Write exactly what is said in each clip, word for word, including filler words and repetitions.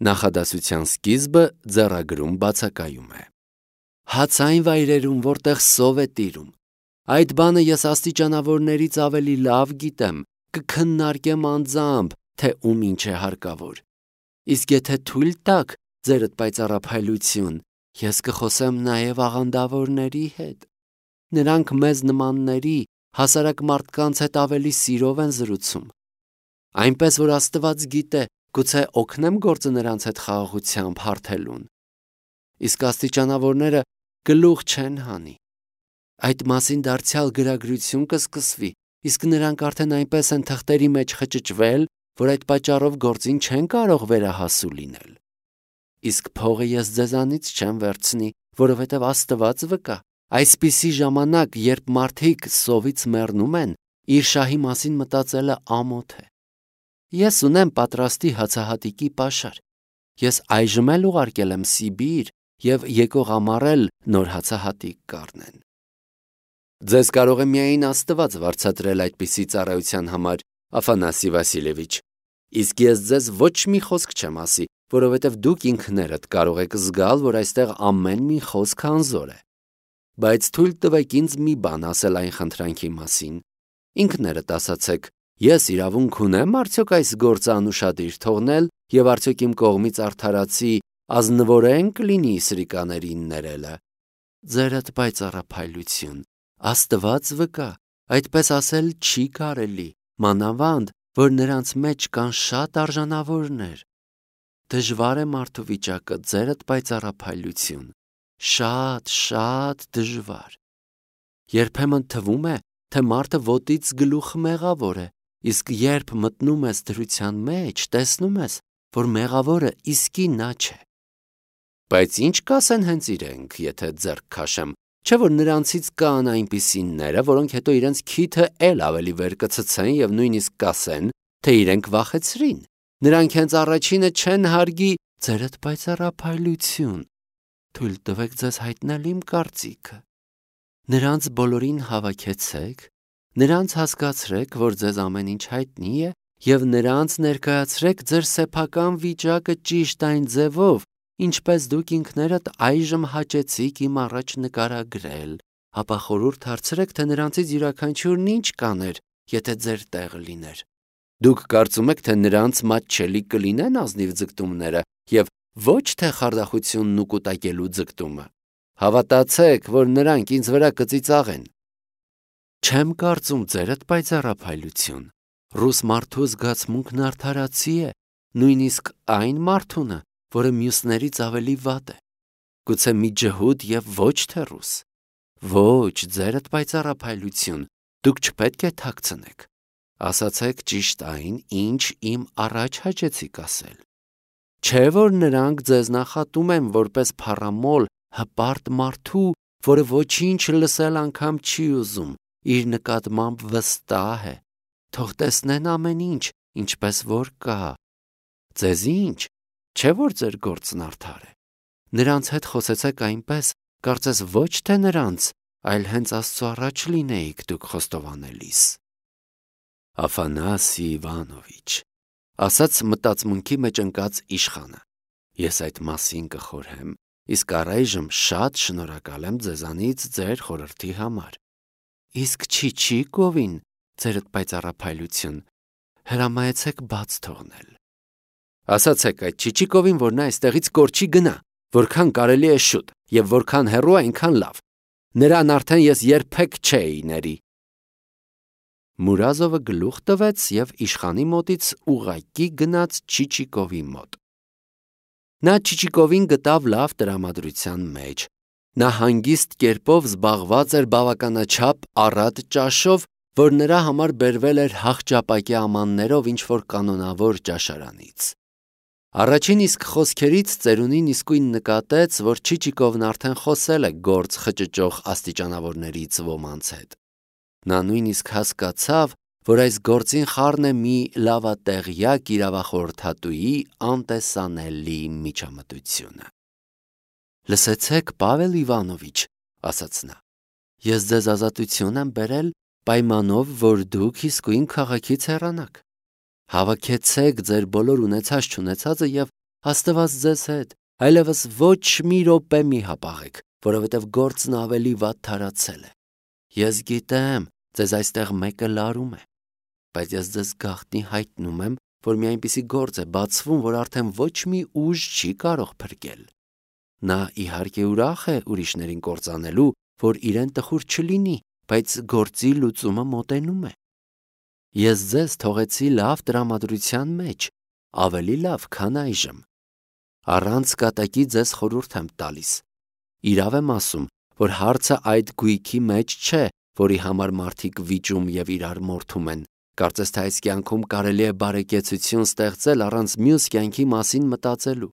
Նախադասության սկիզբը ձեռագրում բացակայում է։ Հաց այն վայրերում, որտեղ սով է տիրում։ Այդ բանը ես աստիճանավորներից ավելի լավ գիտեմ, կքննարկեմ անձամբ, թե ում ինչ է հարկավոր։ Իսկ եթե թույլ տաք ձերդ պայծառափայլություն, ես կխոսեմ նաև աղանդավորների հետ։ Նրանք մեզ նմանների, հասարակ մարդկանց հետ ավելի սիրով են զրուցում։ Այնպես որ Աստված գիտե, գուցե օգնեմ գործը նրանց հետ խաղաղությամբ հարթելուն։ Իսկ աստիճանավորները գլուխ չեն հանի։ Այդ մասին դարձյալ գրագրություն կսկսվի, իսկ նրանք արդեն այնպես են թղթերի մեջ խճճվել, որ այդ պատճառով գործին չեն կարող վերահասու լինել։ Իսկ փողը ես ձեզանից չեմ վերցնի, որովհետև Աստված վկա, այսպիսի ժամանակ, երբ մարդիկ սովից մեռնում են, իր շահի մասին մտածելը ամոթ է։ Ես ունեմ պատրաստի հացահատիկի պաշար։ Ես այժմ էլ ուղարկել եմ Սիբիր և եկող ամառ էլ նոր հացահատիկ կառնեն։ Ձեզ կարող է միայն Աստված վարձատրել այդպիսի ծառայության համար, Աֆանասի Վասիլևիչ, իսկ ես ձեզ ոչ մի խոսք չեմ ասի, որովհետև դուք ինքներդ կարող եք զգալ, որ այստեղ ամեն մի խոսք անզոր է։ Բայց թույլ տվեք ինձ մի բան ասել այն խնդրանքի մասին։ Ինքներդ ասացեք, ես իրավունք ունեմ արդյոք այս գործը անուշադիր թողնել և արդյոք իմ կողմից արդարացի ազնվորեն կլինի սրիկաներին ներելը։ Ձերդ պայծառափայլություն, Աստված վկա, այդպես ասել չի կարելի, մանավանդ, որ նրանց մեջ կան շատ արժանավորներ։ Դժվար է մարդու վիճակը, ձերդ պայծառափայլություն, շատ, շատ դժվար։ Երբեմն թվում է, թե մարդը ոտից գլուխ մեղավոր է, իսկ երբ մտնում ես դրության մեջ, տեսնում ես, որ մեղավորը իսկի նա չէ։ Բայց ինչ կասեն հենց իրենք, եթե ձեռք քաշեմ, չէ՞ որ նրանցից կան այնպիսիները, որոնք հետո իրենց քիթը էլ ավելի վեր կցցեն և նույնիսկ կասեն, թե իրենք վախեցրին։ Նրանք հենց առաջինը չեն հարգի ձերդ պայծառափայլություն։ Թույլ տվեք ձեզ հայտնել իմ կարծիքը։ Նրանց բոլորին հավաքեցեք, նրանց հասկացրեք, որ ձեզ ամեն ինչ հայտնի է, և նրանց ներկայացրեք ձեր սեփական վիճակը ճիշտ այն ձևով, ինչպես դուք ինքներդ այժմ հաճեցիք իմ առաջ նկարագրել, ապա խորհուրդ հարցրեք, թե նրանցից յուրաքանչյուրն ինչ կաներ, եթե ձեր տեղը լիներ։ Դուք կարծում եք, թե նրանց մատչելի կլինեն ազնիվ ձգտումները և ոչ թե խարդախությունն ու կուտակելու ձգտումը։ Հավատացեք, որ նրանք ինձ վրա կծիծաղեն։ Չեմ կարծում ձերդ պայծառափայլություն։ Ռուս մարդու զգացմունքն արդարացի է, նույնիսկ այն մարդունը, որը մյուսներից ավելի վատ է։ Գուցե մի ջհուդ և ոչ թե ռուս։ Ոչ, ձերդ պայծառափայլություն, դուք չպետք է թաքցնեք։ Ասացեք ճիշտ այն, ինչ իմ առաջ հաճեցիք ասել։ Չէ՞ որ նրանք ձեզ նախատում են որպես փառամոլ հպարտ մարդու, որը ոչինչ լսել անգամ չի ուզում, իր նկատմամբ վստահ է, թող տեսնեն ամեն ինչ, ինչպես որ կա։ Ձեզ ինչ, չէ՞ որ ձեր գործն արդար է։ Նրանց հետ խոսեցեք այնպես, կարծես ոչ թե նրանց, այլ հենց Աստծո առաջ լինեիք դուք խոստովանելիս։ Աֆանասի Իվանովիչ, ասաց մտածմունքի մեջ ընկած իշխանը, ես այդ մասին կխորհեմ, իսկ առայժմ շատ շնորհակալ եմ ձեզանից ձեր խորհրդի համար։ Իսկ Չիչիկովին, ձերդ պայծառափայլություն, հրամայեցեք բաց թողնել։ Ասացեք այդ Չիչիկովին, որ նա այստեղից կորչի գնա, որքան կարելի է շուտ, և որքան հեռու այնքան լավ։ Նրան արդեն ես երբեք չէի ների։ Մուրազովը գլուխ տվեց և իշխանի մոտից ուղղակի գնաց Չիչիկովի մոտ։ Նա Չիչիկովին գտավ լավ տրամադրության մեջ։ Նա հանգիստ կերպով զբաղված էր բավականաչափ առատ ճաշով, որ նրա համար բերվել էր հախճապակի ամաններով ինչ-որ կանոնավոր ճաշարանից։ Առաջին իսկ խոսքերից ծերունին իսկույն նկատեց, որ Չիչիկովն արդեն խոսել է գործ խճճող աստիճանավորներից ոմանց հետ։ Նա նույնիսկ հասկացավ, որ այս գործին խառն է մի լավատեղյակ իրավախորհրդատուի անտեսանելի միջամտությունը։ Լսեցեք, Պավել Իվանովիչ, ասաց նա, ես ձեզ ազատություն եմ բերել պայմանով, որ դուք իսկույն քաղաքից հեռանաք։ Հավաքեցեք ձեր բոլոր ունեցած չունեցածը և Աստված ձեզ հետ, այլևս ոչ մի րոպե մի հապաղեք, որովհետև գործն ավելի վատ թարացել է։ Ես գիտեմ, ձեզ այստեղ մեկը լարում է, բայց ես ձեզ գաղտնի հայտնում եմ, որ մի այնպիսի գործ է բացվում, որ արդեն ոչ մի ուժ չի կարող փրկել։ Նա իհարկե ուրախ է ուրիշներին կործանելու, որ իրեն տխուր չլինի, բայց գործի լուծումը մոտենում է։ Ես ձեզ թողեցի լավ տրամադրության մեջ, ավելի լավ, քան այժմ։ Առանց կատակի ձեզ խորհուրդ եմ տալիս։ Իրավ եմ ասում, որ հարցը այդ գույքի մեջ չէ, որի համար մարդիկ վիճում եւ իրար մորթում են։ Կարծես թե այս կյանքում կարելի է բարեկեցություն ստեղծել առանց մյուս կյանքի մասին մտածելու։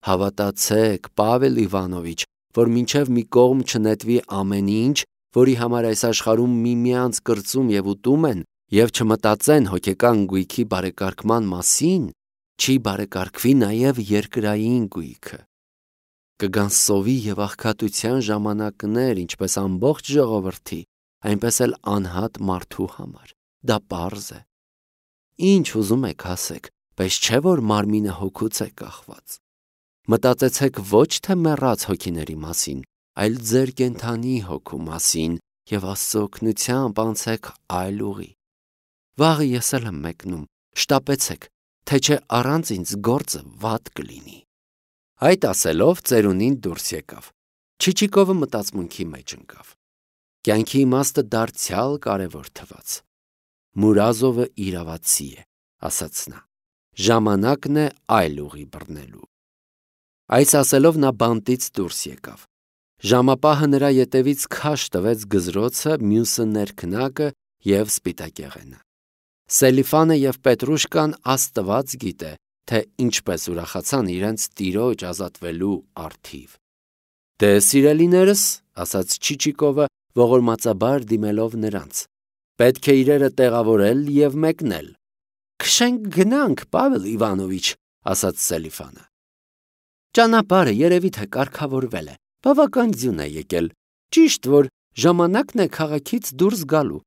Հավատացեք, Պավել Իվանովիչ, որ մինչև մի կողմ չնետվի ամեն ինչ, որի համար այս աշխարհում միմյանց կրծում եւ ուտում են, եւ չմտածեն հոգեկան գույքի բարեկարգման մասին, չի բարեկարգվի նաեւ երկրային գույքը։ Կգան սովի եւ աղքատության ժամանակներ, ինչպես ամբողջ ժողովրդի, այնպես էլ անհատ մարդու համար։ Դա պարզ է։ Ինչ ուզում եք ասեք, բայց չէ որ մարմինը հոգուց է կախված։ Մտածեցեք ոչ թե մեռած հոգիների մասին, այլ ձեր կենդանի հոգու մասին եւ Աստծո օգնությամբ անցեք այլ ուղի։ Վաղը ես էլ եմ մեկնում, շտապեցեք, թե չէ առանց ինձ գործը վատ կլինի։ Այդ ասելով ծերունին դուրս եկավ։ Չիչիկովը մտածմունքի մեջ ընկավ։ Կյանքի իմաստը դարձյալ կարևոր թվաց։ Մուրազովը իրավացի է, ասաց նա։ Ժամանակն է այլ ուղի բռնելու։ Այս ասելով նա բանտից դուրս եկավ։ Ժամապահը նրա ետևից քաշ տվեց գզրոցը, մյուսը ներքնակը եւ սպիտակեղենը։ Սելիֆանը եւ Պետրուշկան Աստված գիտե, թե ինչպես ուրախացան իրենց տիրոջ ազատվելու արդիվ։ Դե սիրելիներս, ասաց Չիչիկովը, ողորմածաբար դիմելով նրանց, պետք է իրերը տեղավորել եւ մեկնել։ Քշենք գնանք, Պավել Իվանովիչ, ասաց Սելիֆանը։ Ճանապարհը երևի թե կարգավորվել է, բավական ձյուն է եկել։ Ճիշտ որ ժամանակն է քաղաքից դուրս գալու։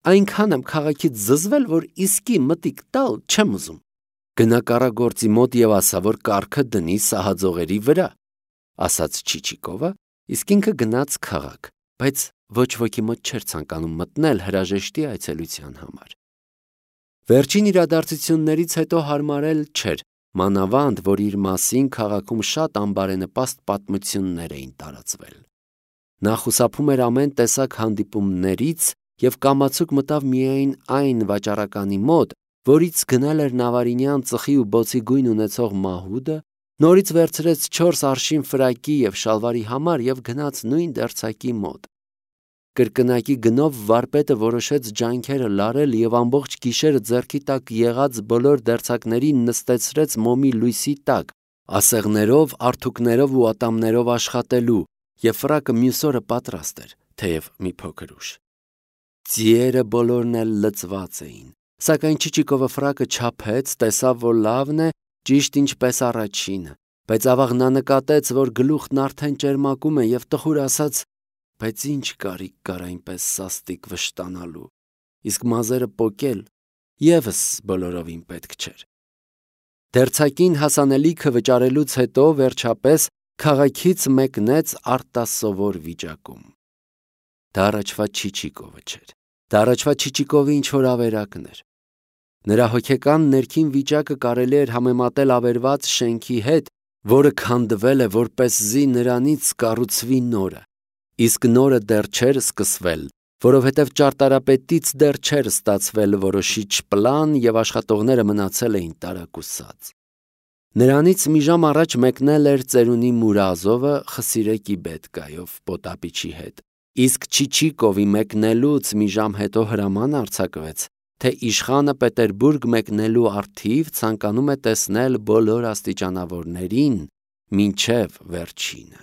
Այնքան եմ քաղաքից զզվել, որ իսկի մտիկ տալ չեմ ուզում։ Գնա կառագործի մոտ եւ ասա, որ կառքը դնի սահաձողերի վրա, ասաց Չիչիկովը, իսկ ինքը գնաց քաղաք, բայց ոչ ոքի մոտ չէր ցանկանում մտնել հրաժեշտի այցելության համար։ Վերջին իրադարձություններից հետո հարմարել չէր, մանավանդ, որ իր մասին քաղաքում շատ անբարենպաստ պատմություններ էին տարածվել։ Նա խուսափում էր ամեն տեսակ հանդիպումներից եւ կամացուկ մտավ միայն այն վաճառականի մոտ, որից գնել էր նավարինյան ծխի ու բոցի գույն ունեցող մահուդը, նորից վերցրեց չորս արշին ֆրակի եւ շալվարի համար եւ գնաց նույն դերձակի մոտ։ Կրկնակի գնով վարպետը որոշեց ջանքերը լարել եւ ամբողջ գիշերը ձեռքի տակ եղած բոլոր դերձակներին նստեցրեց մոմի լույսի տակ, ասեղներով, արթուկներով ու ատամներով աշխատելու, եւ ֆրակը մյուս օրը պատրաստ էր, թեև մի փոքր ուշ։ Ձիերը բոլորն էլ լծված էին, սակայն Չիչիկովը ֆրակը չափեց, տեսավ, որ լավն է, ճիշտ ինչպես առաջինը, բայց ավաղ նա նկատեց, որ գլուխն արդեն ճերմակում է եւ տխուր ասաց. բայց ինչ կարիք կար այնպես սաստիկ վշտանալու, իսկ մազերը պոկել եւս բոլորովին պետք չէր։ Դերձակին հասանելիքը վճարելուց հետո վերջապես քաղաքից մեկնեց արտասովոր վիճակում։ Դա առաջվա Չիչիկովը չէր, դա առաջվա Չիչիկովի ինչ-որ ավերակն էր։ Նրա հոգեկան ներքին վիճակը կարելի էր համեմատել ավերված շենքի հետ, որը քանդվել է, որպեսզի նրանից կառուցվի նորը, իսկ նորը դեռ չէր սկսվել, որովհետև ճարտարապետից դեռ չէր ստացվել որոշիչ պլան եւ աշխատողները մնացել էին տարակուսած։ Նրանից մի ժամ առաջ մեկնել էր ծերունի Մուրազովը Խսիրեկի Բետկայով Պոտապիչի հետ, իսկ Չիչիկովի մեկնելուց մի ժամ հետո հրաման արձակվեց, թե իշխանը Պետերբուրգ մեկնելու առթիվ ցանկանում է տեսնել բոլոր աստիճանավորներին մինչև վերջինը։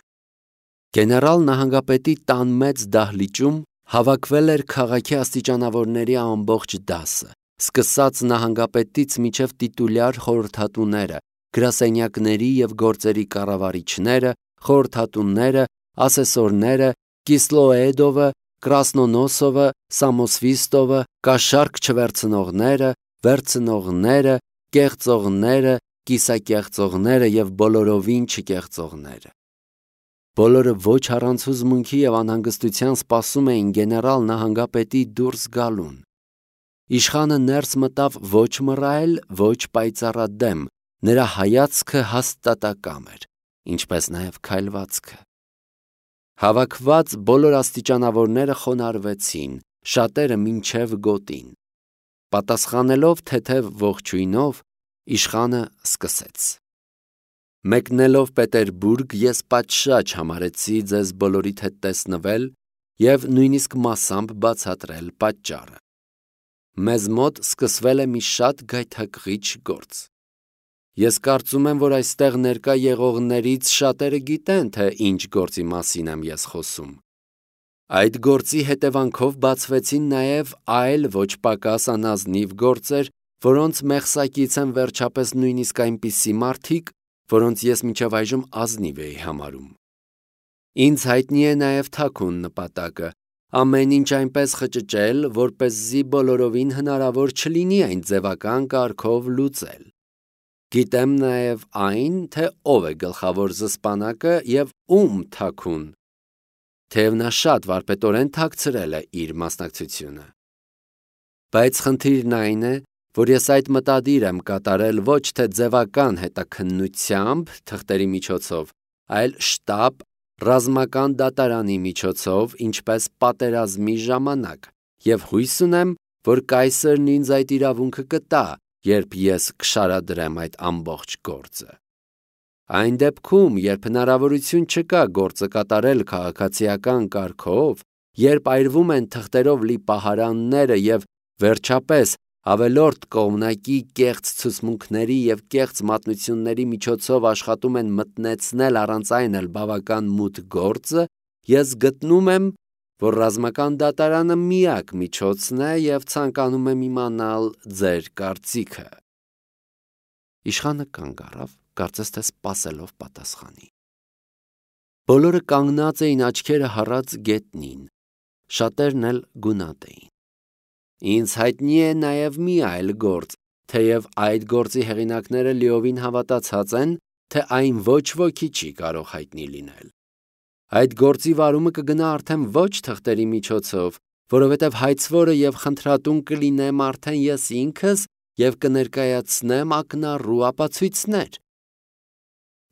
Գեներալ նահանգապետի տան մեծ դահլիճում հավաքվել էր քաղաքի աստիճանավորների ամբողջ դասը, սկսած նահանգապետից մինչև տիտուլյար խորհրդատուները, գրասենյակների եւ գործերի կառավարիչները, խորհրդատուները, ասեսորները, Կիսլոեդովը, Կրասնոնոսովը, Սամոսվիստովը, կաշառք չվերցնողները, վերցնողները, կեղծողները, կիսակեղծողները եւ բոլորովին չկեղծողները։ Բոլորը ոչ առանց հուզմունքի եւ անհանգստության սպասում էին գեներալ նահանգապետի դուրս գալուն։ Իշխանը ներս մտավ ոչ մռայլ, ոչ պայծառադեմ, նրա հայացքը հաստատակամ էր, ինչպես նաեւ քայլվածքը։ Հավաքված բոլոր աստիճանավորները խոնարհվեցին, շատերը մինչև գոտին։ Պատասխանելով թեթև ողջույնով, իշխանը սկսեց. Մեկնելով Պետերբուրգ, ես պատշաճ համարեցի ձեզ բոլորիդ հետ տեսնվել եւ նույնիսկ մասամբ բացատրել պատճառը։ Մեզ մոտ սկսվել է մի շատ գայթակղիչ գործ։ Ես կարծում եմ, որ այստեղ ներկա եղողներից շատերը գիտեն, թե ինչ գործի մասին եմ ես խոսում։ Այդ գործի հետևանքով բացվեցին նաև այլ ոչ պակաս անազնիվ գործեր, որոնց մեղսակից են վերջապես նույնիսկ այնպիսի մարդիկ, որոնց ես մինչև այժմ ազնիվ էի համարում։ Ինձ հայտնի է նաև թաքուն նպատակը, ամեն ինչ այնպես խճճել, որպեսզի բոլորովին հնարավոր չլինի այն ձևական կարգով լուծել։ Գիտեմ նաև այն, թե ով է գլխավոր զսպանակը եւ ում թաքուն, թեև նա շատ վարպետորեն թաքցրել է իր մասնակցությունը։ Բայց խնդիրն այն է, որ ես այդ մտադիր եմ կատարել ոչ թե ձևական հետաքննությամբ թղթերի միջոցով, այլ շտապ ռազմական դատարանի միջոցով, ինչպես պատերազմի ժամանակ, եւ հույս ունեմ, որ կայսրն ինձ այդ իրավունքը կտա, երբ ես կշարադրեմ այդ ամբողջ գործը։ Այն դեպքում, երբ հնարավորություն չկա գործը կատարել քաղաքացիական կարգով, երբ այրվում են թղթերով լի պահարանները եւ վերջապես ավելորդ կողմնակի կեղծ ցուցմունքների եւ կեղծ մատնությունների միջոցով աշխատում են մտնեցնել առանց այն էլ բավական մութ գործը, ես գտնում եմ, որ ռազմական դատարանը միակ միջոցն է եւ ցանկանում եմ իմանալ ձեր կարծիքը։ Իշխանը կանգ առավ, կարծես թե սպասելով պատասխանի։ Բոլորը կանգնած էին աչքերը հառած գետնին, շատերն էլ գունատ էին։ Ինձ հայտնի է նաև մի այլ գործ, թեև այդ գործի հեղինակները լիովին հավատացած են, թե այն ոչ ոքի չի կարող հայտնի լինել։ Այդ գործի վարումը կգնա արդեն ոչ թղթերի միջոցով, որովհետև հայցվորը եւ խնդրատուն կլինեմ արդեն ես ինքս եւ կներկայացնեմ ակնառու ապացույցներ։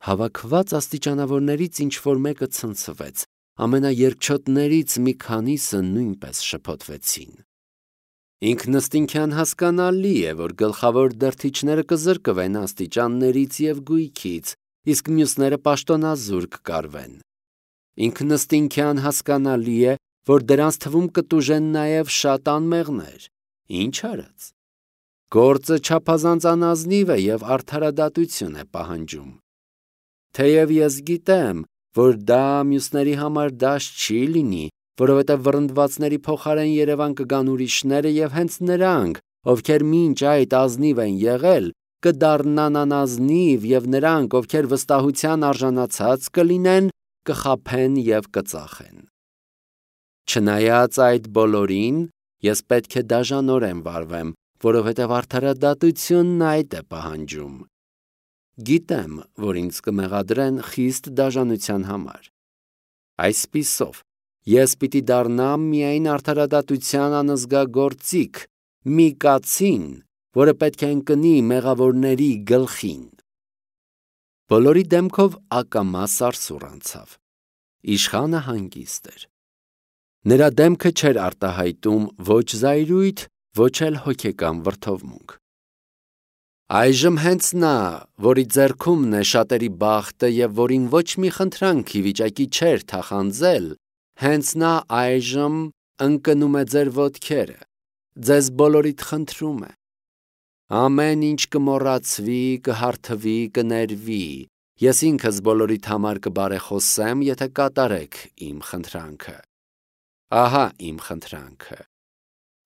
Հավաքված աստիճանավորներից ինչ-որ մեկը ցնցվեց, ամենաերկչոտներից մի քանիսը նույնպես շփոթվեցին։ Ինքնըստինքյան հասկանալի է, որ գլխավոր դրդիչները կզրկվեն աստիճաններից եւ գույքից, իսկ մյուսները պաշտոնազուր կկարվեն։ Ինքնըստինքյան հասկանալի է, որ դրանց թվում կտուժեն նաև շատ անմեղներ։ Ինչ արած։ Գործը չափազանց անազնիվ է եւ արդարադատություն է պահանջում։ Թեև ես գիտեմ, որ դա մյուսների համար դաշտ չի լինի, որովհետև վռնդվածների փոխարեն Երևան կգան ուրիշները եւ հենց նրանք, ովքեր մինչ այդ ազնիվ են եղել, կդառնան անազնիվ եւ նրանք, ովքեր վստահության արժանացած կլինեն, կխաբեն եւ կծախեն։ Չնայած այդ բոլորին, ես պետք է դաժանորեն վարվեմ, որովհետև արդարադատությունն այդ է պահանջում։ Գիտեմ, որ ինձ կմեղադրեն խիստ դաժանության համար։ Այսպիսով, ես պիտի դառնամ միայն արդարադատության անզգագործիկ, մի կացին, որը պետք է ընկնի մեղավորների գլխին։ Բոլորի դեմքով ակամա սարսուռ անցավ։ Իշխանը հանգիստ էր։ Նրա դեմքը չէր արտահայտում ոչ զայրույթ, ոչ էլ հոգեկան վրդովմունք։ Այժմ հենց նա, որի ձեռքումն է շատերի բախտը եւ որին ոչ մի խնդրանք ի վիճակի չէր թախանձել, հենց նա այժմ ընկնում է ձեր ոտքերը, ձեզ բոլորիդ խնդրում է։ Ամեն ինչ կմոռացվի, կհարթվի, կներվի, ես ինքս բոլորիդ համար կբարեխոսեմ, եթե կատարեք իմ խնդրանքը։ Ահա իմ խնդրանքը։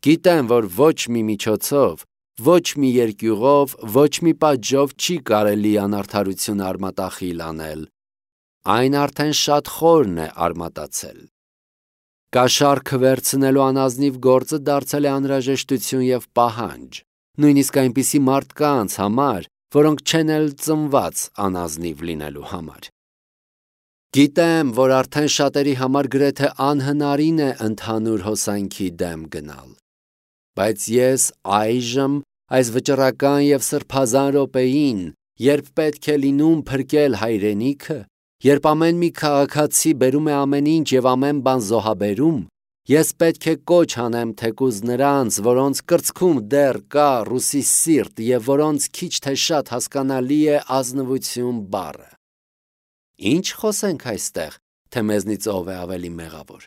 Գիտեմ, որ ոչ մի միջոցով, ոչ մի երկյուղով, ոչ մի պատժով չի կարելի անարդարություն արմատախիլ անել։ Այն արդեն շատ խորն է արմատացել։ Կաշառքը վերցնելու անազնիվ գործը դարձել է անհրաժեշտություն եւ պահանջ, նույնիսկ այնպիսի մարդկանց համար, որոնք չեն էլ ծնված անազնիվ լինելու համար։ Գիտեմ, որ արդեն շատերի համար գրեթե անհնարին է ընդհանուր հոսանքի դեմ գնալ, բայց ես այժմ այս վճռական և սրբազան րոպեին, երբ պետք է լինում փրկել հայրենիքը, երբ ամեն մի քաղաքացի բերում է ամեն ինչ և ամեն բան զոհաբերում, ես պետք է կոչ անեմ թեկուզ նրանց, որոնց կրծքում դեռ կա ռուսի սիրտ և որոնց քիչ թե շատ հասկանալի է ազնվություն բառը։ Ինչ խոսենք այստեղ, թե մեզնից ով է ավելի մեղավոր։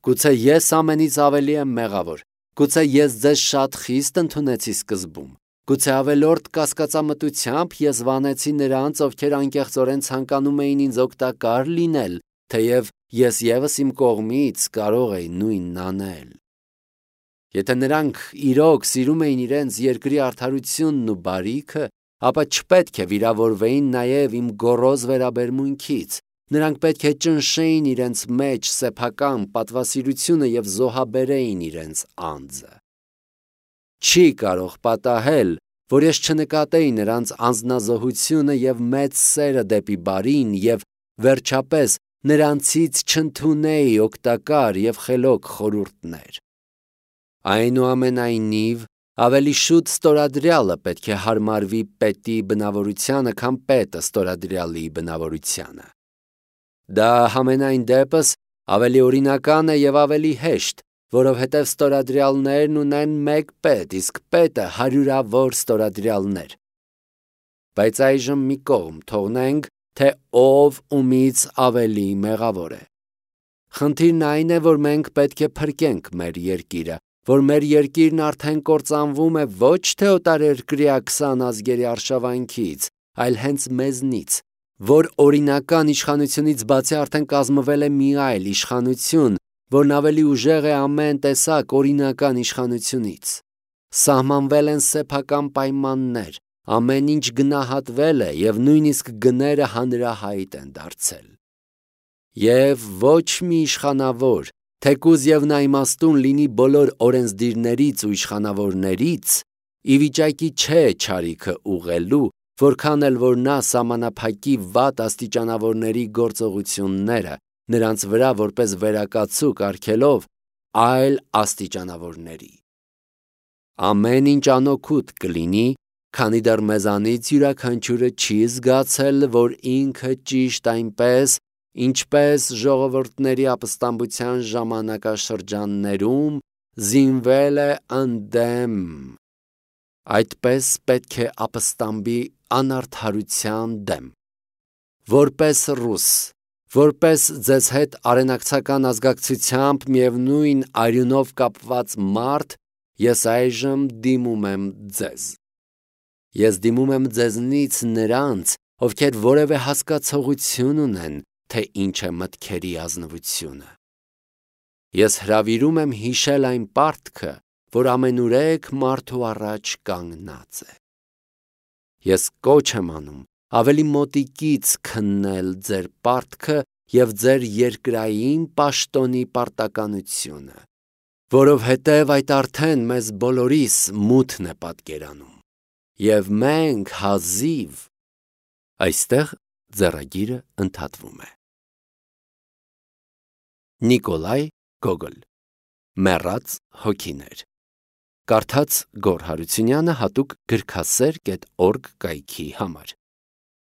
Գուցե ես ամենից ավելի եմ մեղավոր, գուցե ես ձեզ շատ խիստ ընդունեցի սկզբում, գուցե ավելորդ կասկածամտությամբ ես վանեցի նրանց, ովքեր անկեղծորեն ցանկանում էին ինձ օգտակար լինել, թեև ես ևս իմ կողմից կարող էի նույնն անել։ Եթե նրանք իրոք սիրում էին իրենց երկրի արդարությունն ու բարիքը, ապա չպետք է վիրավորվեին նաև իմ գոռոզ վերաբերմունքից, նրանք պետք է ճնշեին իրենց մեջ սեփական պատվասիրությունը և զոհաբերեին իրենց անձը։ Չի կարող պատահել, որ ես չնկատեի նրանց անձնազոհությունը և մեծ սերը դեպի բարին և վերջապես նրանցից չընդունեի օգտակար և խելոք խորհուրդներ։ Այնուամենայնիվ, ավելի շուտ ստորադրյալը պետք է հարմարվի պետի բնավորությանը, քան պետը ստորադրյալի բնավորությանը։ Դա համենայն դեպս ավելի օրինական է և ավելի հեշտ, որովհետև ստորադրյալներն ունեն մեկ պետ, իսկ պետը հարյուրավոր ստորադրյալներ։ Բայց այժմ մի կողմ թողնենք, թե ով ումից ավելի մեղավոր է։ Խնդիրն այն է, որ մենք պետք է փրկենք մեր երկիրը, որ մեր երկիրն արդեն կործանվում է ոչ թե օտարերկրյա քսան ազգերի արշավանքից, այլ հենց մեզնից, որ օրինական իշխանությունից բացի արդեն կազմվել է մի այլ իշխանություն, որն ավելի ուժեղ է ամեն տեսակ օրինական իշխանությունից։ Սահմանվել են սեփական պայմաններ, ամեն ինչ գնահատվել է և նույնիսկ գները հանրահայտ են դարձել։ Եվ ոչ մի իշխանավոր, թեկուզ և նա իմաստուն լինի բոլոր օրենսդիրներից ու իշխանավորներից, ի վիճակի չէ չարիքը ուղղելու, որքան էլ որ նա սահմանափակի վատ աստիճանավորների գործողությունները, նրանց վրա որպես վերակացուկ արգելով այլ աստիճանավորների։ Ամեն ինչ անօգուտ կլինի, քանի դեռ մեզանից յուրաքանչյուրը չի զգացել, որ ինքը ճիշտ այնպես, ինչպես ժողովուրդների ապստամբության ժամանակաշրջաններում զինվել է ընդդեմ, այդպես պետք է ապստամբի անարդարության դեմ։ Որպես ռուս, որպես ձեզ հետ արենակցական ազգակցությամբ միևնույն արյունով կապված մարդ, ես այժմ դիմում եմ ձեզ։ Ես դիմում եմ ձեզնից նրանց, ովքեր որևէ հասկացողություն ունեն, թե ինչ է մտքերի ազնվությունը։ Ես հրավիրում եմ հիշել այն պարտքը, որ ամենուրեք մարդու առաջ կանգնած է։ Ես կոչ եմ անում ավելի մոտիկից քննել ձեր պարտքը և ձեր երկրային պաշտոնի պարտականությունը, որովհետև այդ արդեն մեզ բոլորիս մութն է պատկերանում, և մենք հազիվ… Այստեղ ձեռագիրը ընդհատվում է։ Նիկոլայ Գոգոլ «Մեռած հոգիներ», կարդաց Գոռ Հարությունյանը հատուկ գրքասեր կետ օրգ կայքի համար։